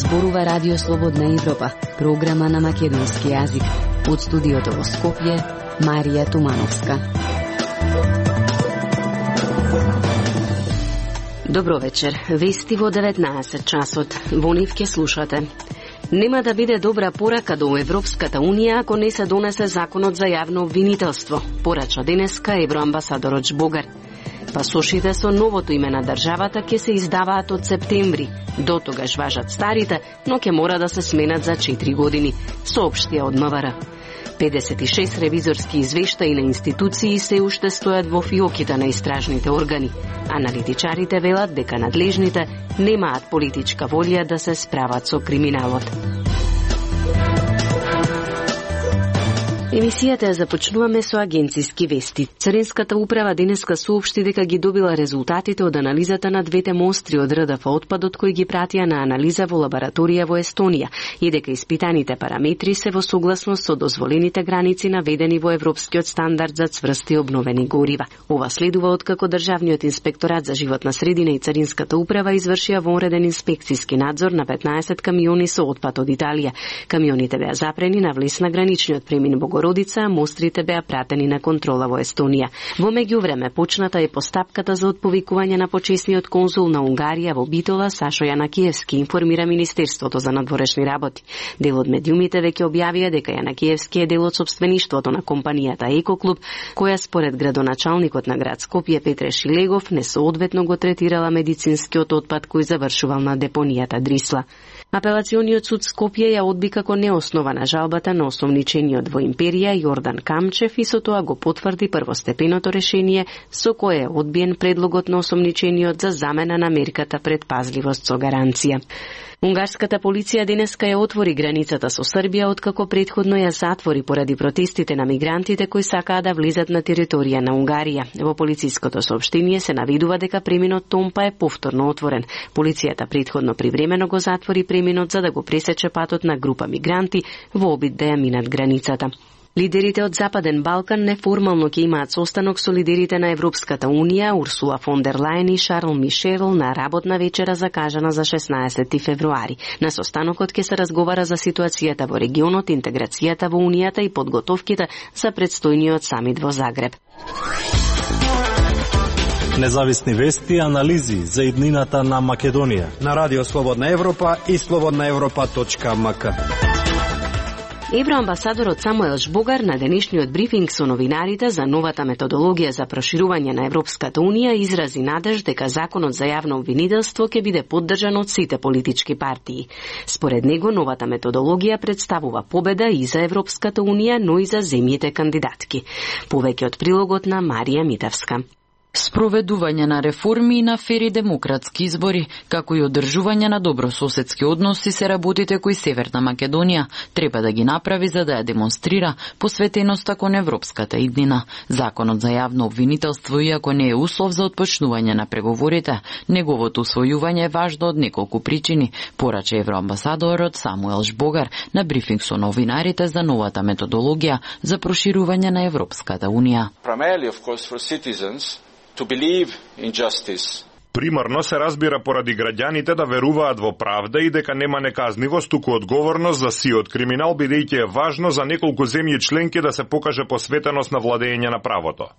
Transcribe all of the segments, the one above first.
зборува Радио Слободна Европа, програма на македонски јазик. Од студиото во Скопје, Марија Тумановска. Добро вечер. Вести во 19 часот. Во нив ќе слушате. Нема да биде добра порака до Европската Унија ако не се донесе законот за јавно обвинителство, порача денеска евроамбасадорот Жбогар. Пасошите со новото име на државата ќе се издаваат од септември. До тогаш важат старите, но ќе мора да се сменат за 4 години, соопштија од МВР. 56 ревизорски извештаи на институции се уште стојат во фиоките на истражните органи. Аналитичарите велат дека надлежните немаат политичка волја да се справат со криминалот. Емисијата ја започнуваме со агенциски вести. Царинската управа денеска соопшти дека ги добила резултатите од анализата на двете мостри од РДФ отпадот кои ги пратија на анализа во лабораторија во Естонија и дека испитаните параметри се во согласност со дозволените граници наведени во Европскиот стандард за цврсти обновени горива. Ова следува откако Државниот инспекторат за животна средина и Царинската управа извршија вонреден инспекциски надзор на 15 камиони со отпад од Италија. Камионите беа запрени на влез на граничниот премин Богородица, а мострите беа пратени на контрола во Естонија. Во меѓувреме почната е постапката за отповикување на почесниот конзул на Унгарија во Битола, Сашо Јанакиевски, информира Министерството за надворешни работи. Дел од медиумите веќе објавија дека Јанакиевски е дел од сопствеништвото на компанијата Екоклуб, која според градоначалникот на град Скопје Петре Шилегов несоодветно го третирала медицинскиот отпад кој завршувал на депонијата Дрисла. Апелациониот суд Скопје ја одби како неоснована жалбата на осомничениот во Империја Јордан Камчев и со тоа го потврди првостепеното решение со кое е одбиен предлогот на осомничениот за замена на мерката предпазливост со гаранција. Унгарската полиција денеска ја отвори границата со Србија откако претходно ја затвори поради протестите на мигрантите кои сакаа да влезат на територија на Унгарија. Во полициското соопштение се наведува дека преминот Томпа е повторно отворен. Полицијата претходно привремено го затвори преминот за да го пресече патот на група мигранти во обид да ја минат границата. Лидерите од Западен Балкан неформално ќе имаат состанок со лидерите на Европската Унија, Урсула фон дер Лајен и Шарл Мишел на работна вечера закажана за 16 февруари. На состанокот ќе се разговара за ситуацијата во регионот, интеграцијата во Унијата и подготовките за предстојниот самит во Загреб. Независни вести и анализи за иднината на Македонија на Радио Слободна Европа и slobodnaevropa.mk. Евроамбасадорот Самуел Жбогар на денешниот брифинг со новинарите за новата методологија за проширување на Европската Унија изрази надеж дека законот за јавно обвинителство ќе биде поддржан од сите политички партии. Според него новата методологија представува победа и за Европската Унија, но и за земјите кандидатки. Повеќе од прилогот на Марија Митевска. Спроведување на реформи и на фери демократски избори, како и одржување на добрососедски односи се работите кои Северна Македонија треба да ги направи за да ја демонстрира посветеноста кон европската иднина. Законот за јавно обвинителство, иако не е услов за отпочнување на преговорите, неговото усвојување е важно од неколку причини, порача евроамбасадорот Самуел Жбогар на брифинг со новинарите за новата методологија за проширување на Европската Унија. To believe in justice. Примарно се разбира поради граѓаните да веруваат во правда и дека нема неказнивост, туку одговорност за сиот криминал, бидејќи е важно за неколку земји членки да се покаже посветеност на владење на правото.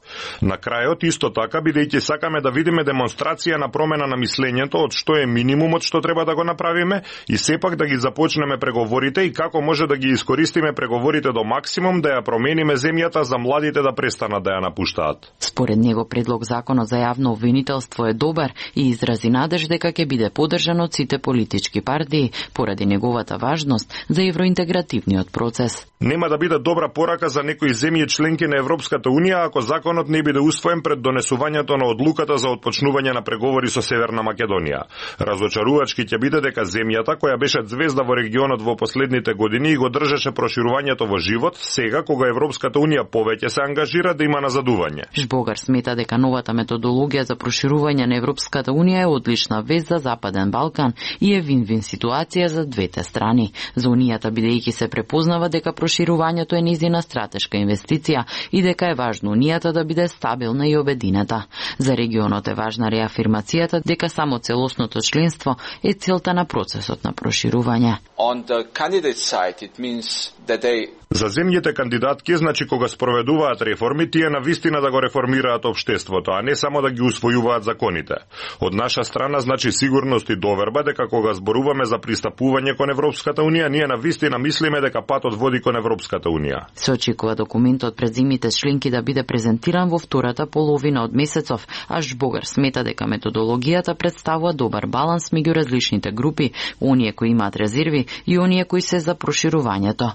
На крајот, исто така, бидејќи сакаме да видиме демонстрација на промена на мислењето, од што е минимумот што треба да го направиме, и сепак да ги започнеме преговорите и како може да ги искористиме преговорите до максимум да ја промениме земјата за младите да престанат да ја напуштаат. Според него предлог законот за јавно обвинителство е добар и изрази надеж дека ќе биде поддржан од сите политички партии поради неговата важност за евроинтегративниот процес. Нема да биде добра порака за некои земји членки на Европската Унија ако законот не биде усвоен пред донесувањето на одлуката за отпочнување на преговори со Северна Македонија. Разочарувачки ќе биде дека земјата која беше звезда во регионот во последните години и го држеше проширувањето во живот, сега кога Европската Унија повеќе се ангажира да има назадување. Жбогар смета дека новата методологија за проширување на Европската Европската унија е одлична вест за Западен Балкан и е вин-вин ситуација за двете страни. За унијата бидејќи се препознава дека проширувањето е нејзина стратешка инвестиција и дека е важно унијата да биде стабилна и обединета. За регионот е важна реафирмацијата дека само целосното членство е целта на процесот на проширување. On the candidate side, it means that they За земјите кандидатки, значи кога спроведуваат реформи, тие навистина да го реформираат општеството, а не само да ги усвојуваат законите. Од наша страна, значи сигурност и доверба дека кога зборуваме за пристапување кон Европската унија, ние навистина мислиме дека патот води кон Европската унија. Се очекува документот пред земјите членки да биде презентиран во втората половина од месецов, а Жбогар смета дека методологијата представува добар баланс меѓу различните групи, оние кои имаат резерви и оние кои се за проширувањето.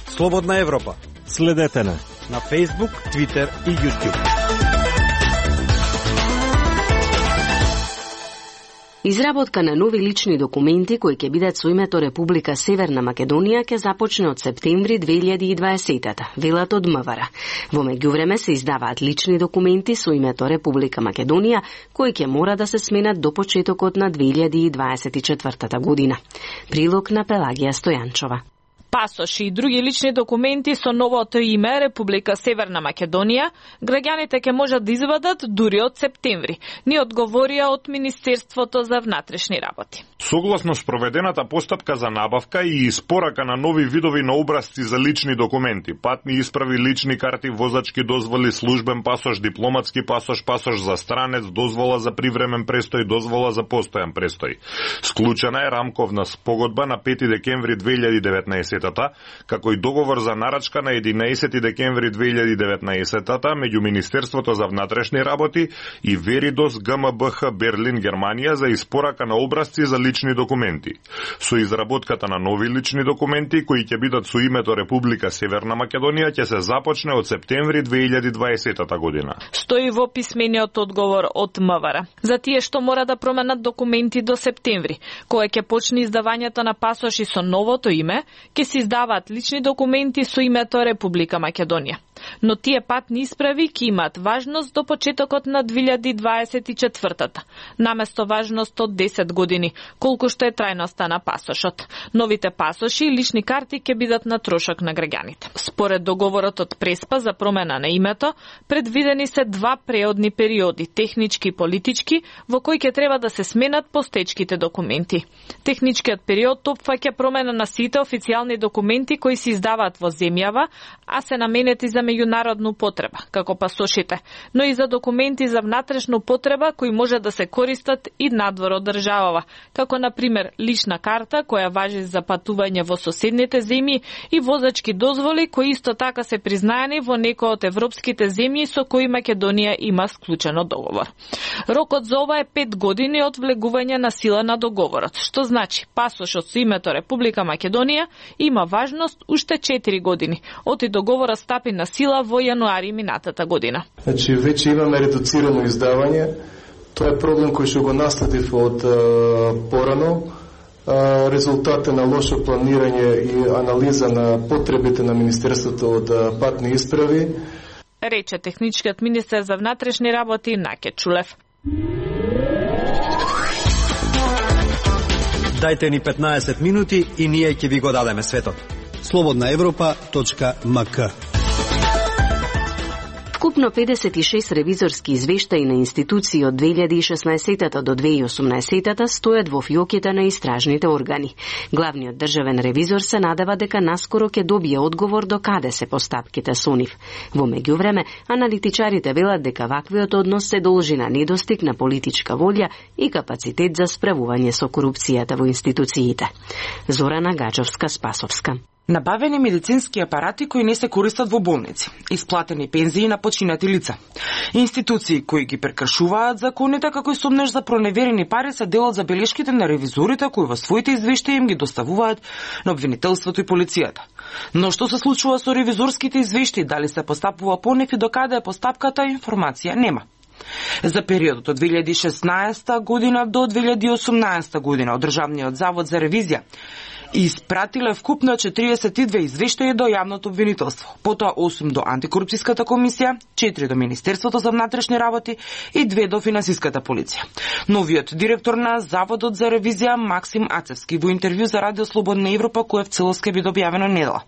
Слободна Европа. Следете на Facebook, Twitter и YouTube. Изработка на нови лични документи кои ќе бидат со името Република Северна Македонија ќе започне од септември 2020-та, велат од МВР. Во меѓувреме се издаваат лични документи со името Република Македонија кои ќе мора да се сменат до почетокот на 2024 година. Прилог на Пелагија Стојанчова. Пасоши и други лични документи со новото име Република Северна Македонија, граѓаните ќе можат да извадат дури од септември, ни одговорија од Министерството за внатрешни работи. Согласно спроведената постапка за набавка и испорака на нови видови на образци за лични документи, патни исправи, лични карти, возачки дозволи, службен пасош, дипломатски пасош, пасош за странец, дозвола за привремен престој, дозвола за постојан престој. Склучена е рамковна спогодба на 5 декември 2019 како и договор за нарачка на 11 декември 2019 меѓу Министерството за внатрешни работи и Веридос ГМБХ Берлин, Германија за испорака на образци за лични документи. Со изработката на нови лични документи кои ќе бидат со името Република Северна Македонија ќе се започне од септември 2020 година. Стои во писмениот одговор од МВР. За тие што мора да променат документи до септември, кога ќе почне издавањето на пасоши со новото име, ќе се издаваат лични документи со името Република Македонија. Но тие патни исправи ќе имаат важност до почетокот на 2024-та, наместо важност од 10 години, колку што е трајноста на пасошот. Новите пасоши и лични карти ќе бидат на трошок на граѓаните. Според договорот од Преспа за промена на името, предвидени се два преодни периоди, технички и политички, во кои ќе треба да се сменат постечките документи. Техничкиот период опфаќа промена на сите официјални документи кои се издаваат во земјава, а се наменети за меѓународну потреба, како пасошите, но и за документи за внатрешна употреба кои може да се користат и надвор од државава, како на пример лична карта која важи за патување во соседните земји и возачки дозволи кои исто така се признаени во некои од европските земји со кои Македонија има склучено договор. Рокот за ова е 5 години од влегување на сила на договорот, што значи пасошот со името Република Македонија има важност уште 4 години, оти договорот стапи на сила во јануари минатата година. Значи, веќе имаме редуцирано издавање. Тоа е проблем кој што го наследив од порано. Резултата на лошо планирање и анализа на потребите на Министерството од патни исправи, рече техничкиот министер за внатрешни работи Наке Чулев. Дајте ни 15 минути и ние ќе ви го дадеме светот. slobodnaevropa.mk. Вкупно 56 ревизорски извештаи на институции од 2016 до 2018 стојат во фиоките на истражните органи. Главниот државен ревизор се надева дека наскоро ќе добие одговор до каде се постапките со нив. Во меѓувреме, аналитичарите велат дека ваквиот однос се должи на недостиг на политичка волја и капацитет за справување со корупцијата во институциите. Зорана Гаџовска-Спасовска. Набавени медицински апарати кои не се користат во болници, исплатени пензии на починати лица. Институции кои ги прекршуваат законите како и сомнеш за проневерени пари се дел од забелешките на ревизорите кои во своите извештаи им ги доставуваат на обвинителството и полицијата. Но што се случува со ревизорските извештаи, дали се постапува по нив и докаде е постапката, информација нема. За периодот од 2016 година до 2018 година од Државниот завод за ревизија и испратиле вкупно 42 извештаи до јавното обвинителство, потоа 8 до антикорупцијската комисија, 4 до Министерството за внатрешни работи и 2 до финансиската полиција. Новиот директор на Заводот за ревизија Максим Ацевски во интервју за Радио Слободна Европа, кое в целост ќе биде објавено недела,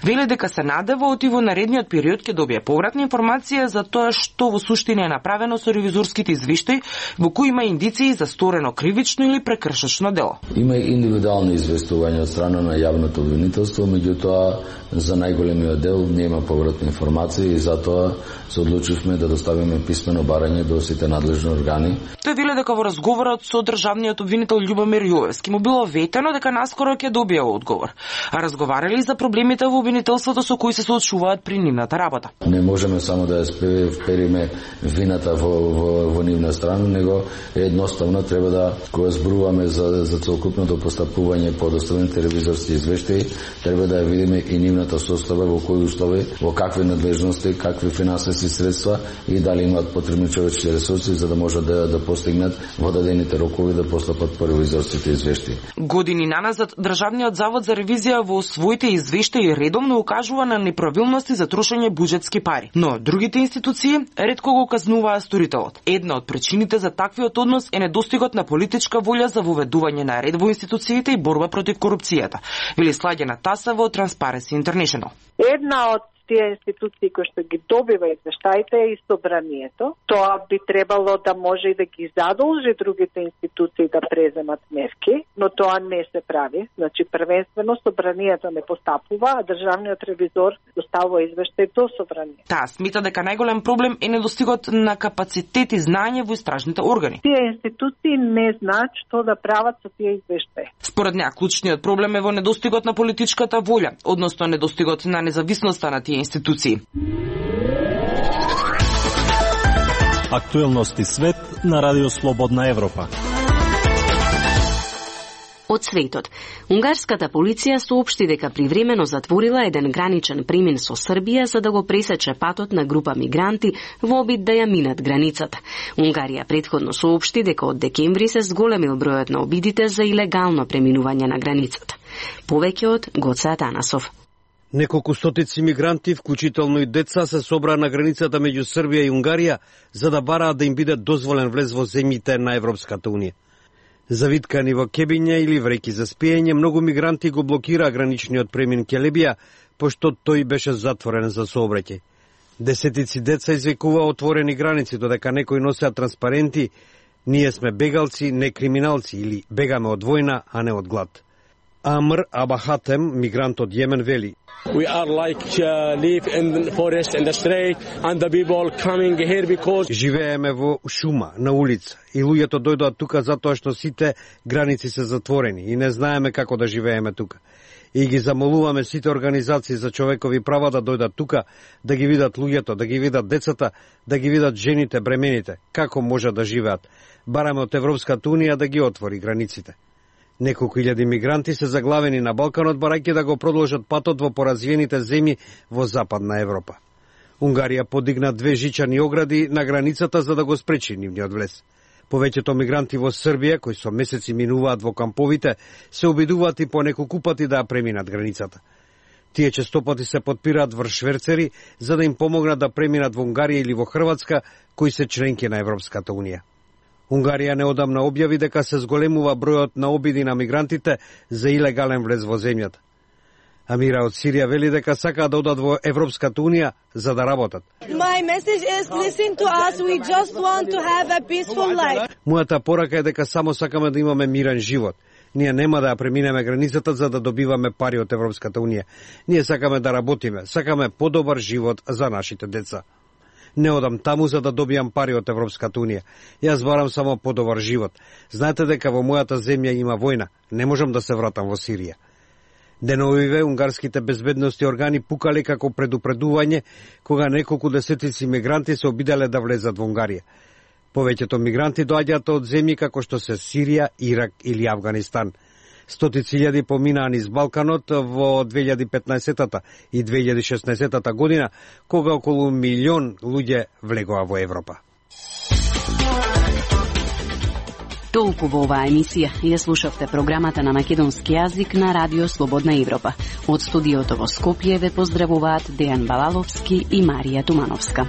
вели дека се надева оти во наредниот период ќе добие повратна информација за тоа што во суштина е направено со ревизорските извештаи, во кои има индиции за сторено кривично или прекршачно дело. Има индивидуални известувања од страна на јавното обвинителство, меѓутоа за најголемиот дел нема повратна информација и затоа се одлучивме да доставиме писмено барање до сите надлежни органи. Тој вели дека во разговорот со државниот обвинител Љубомир Јовевски му било ветено дека наскоро ќе добие одговор, а разговарали за проблемите во обвинителството со кои се соочуваат при нивната работа. Не можеме само да ја впериме вината во нивна страна, него едноставно треба да, кога зборуваме за целокупното постапување по доставените ревизорски извештаи, треба да ја видиме и нивната состава, во кои услови, во какви надлежности, какви финансиски средства и дали имаат потребни човечки ресурси за да можат да постигнат во дадените рокови да постапат по ревизорските извештаи. Години наназад Државниот завод за ревизија во своите извештаи редовно укажува на неправилности за трошење буџетски пари, но другите институции ретко го казнуваа сторителот. Една од причините за таквиот однос е недостигот на политичка волја за воведување на ред во институциите и борба против корупцијата, вели Сладјана Таса во Transparency International. Една од тие институции кои што ги добива извештаите е и собранието. Тоа би требало да може и да ги задолжи другите институции да преземат мерки, но тоа не се прави. Значи, првенствено собранието не постапува, а државниот ревизор доставува извештај до собранието. Таа смета дека најголем проблем е недостигот на капацитет и знаење во истражните органи. Тие институции не знаат што да прават со тие извештаи. Според неа, клучниот проблем е во недостигот на политичката волја, односно недостигот на независноста на тие институции. Актуелности свет на Радио Слободна Европа. Од светот. Унгарската полиција соопшти дека привремено затворила еден граничен премин со Србија за да го пресече патот на група мигранти во обид да ја минат границата. Унгарија претходно соопшти дека од декември се зголемил бројот на обидите за илегално преминување на границата. Повеќе од Гоце Атанасов. Неколку стотици мигранти, вклучително и деца, се собраа на границата меѓу Србија и Унгарија за да бараат да им биде дозволен влез во земјите на Европската унија. Завиткани во кебиња или вреки за спиење, многу мигранти го блокираа граничниот премин Келебија, пошто тој беше затворен за сообраќај. Десетици деца извикуваа отворени граници, додека некои носеа транспаренти "Ние сме бегалци, не криминалци" или "Бегаме од војна, а не од глад". Амр Абахатем, мигрант од Јемен, вели: We are like live in the forest in the street and the people coming here because живееме во шума, на улица, и луѓето дојдоа тука затоа што сите граници се затворени и не знаеме како да живееме тука. И ги замолуваме сите организации за човекови права да дојдат тука, да ги видат луѓето, да ги видат децата, да ги видат жените, бремените, како може да живеат. Бараме од Европската унија да ги отвори границите. Неколку илјади мигранти се заглавени на Балканот, барајќи да го продолжат патот во поразвиените земји во Западна Европа. Унгарија подигна 2 жичани огради на границата за да го спречи нивниот влез. Повеќето мигранти во Србија, кои со месеци минуваат во камповите, се обидуваат и по неколку пати да ја преминат границата. Тие честопати се подпираат врз шверцери за да им помогнат да преминат во Унгарија или во Хрватска, кои се членки на Европската унија. Унгарија неодамна објави дека се зголемува бројот на обиди на мигрантите за илегален влез во земјата. Амира од Сирија вели дека сакаат да одат во Европската унија за да работат. Мојата порака е дека само сакаме да имаме мирен живот. Ние нема да ја преминеме границата за да добиваме пари од Европската унија. Ние сакаме да работиме, сакаме подобар живот за нашите деца. Не одам таму за да добијам пари од Европската унија. Јас барам само подобар живот. Знаете дека во мојата земја има војна. Не можам да се вратам во Сирија. Деновиве унгарските безбедности органи пукале како предупредување кога неколку десетици мигранти се обиделе да влезат во Унгарија. Повеќето мигранти доаѓаат од земји како што се Сирија, Ирак или Авганистан. Стотици илјади поминаа низ Балканот во 2015 и 2016 година, кога околу 1 милион луѓе влегоа во Европа. Толку во оваа емисија. Ја слушавте програмата на македонски јазик на Радио Слободна Европа. Од студиото во Скопје ве поздравуваат Дејан Балаловски и Марија Тумановска.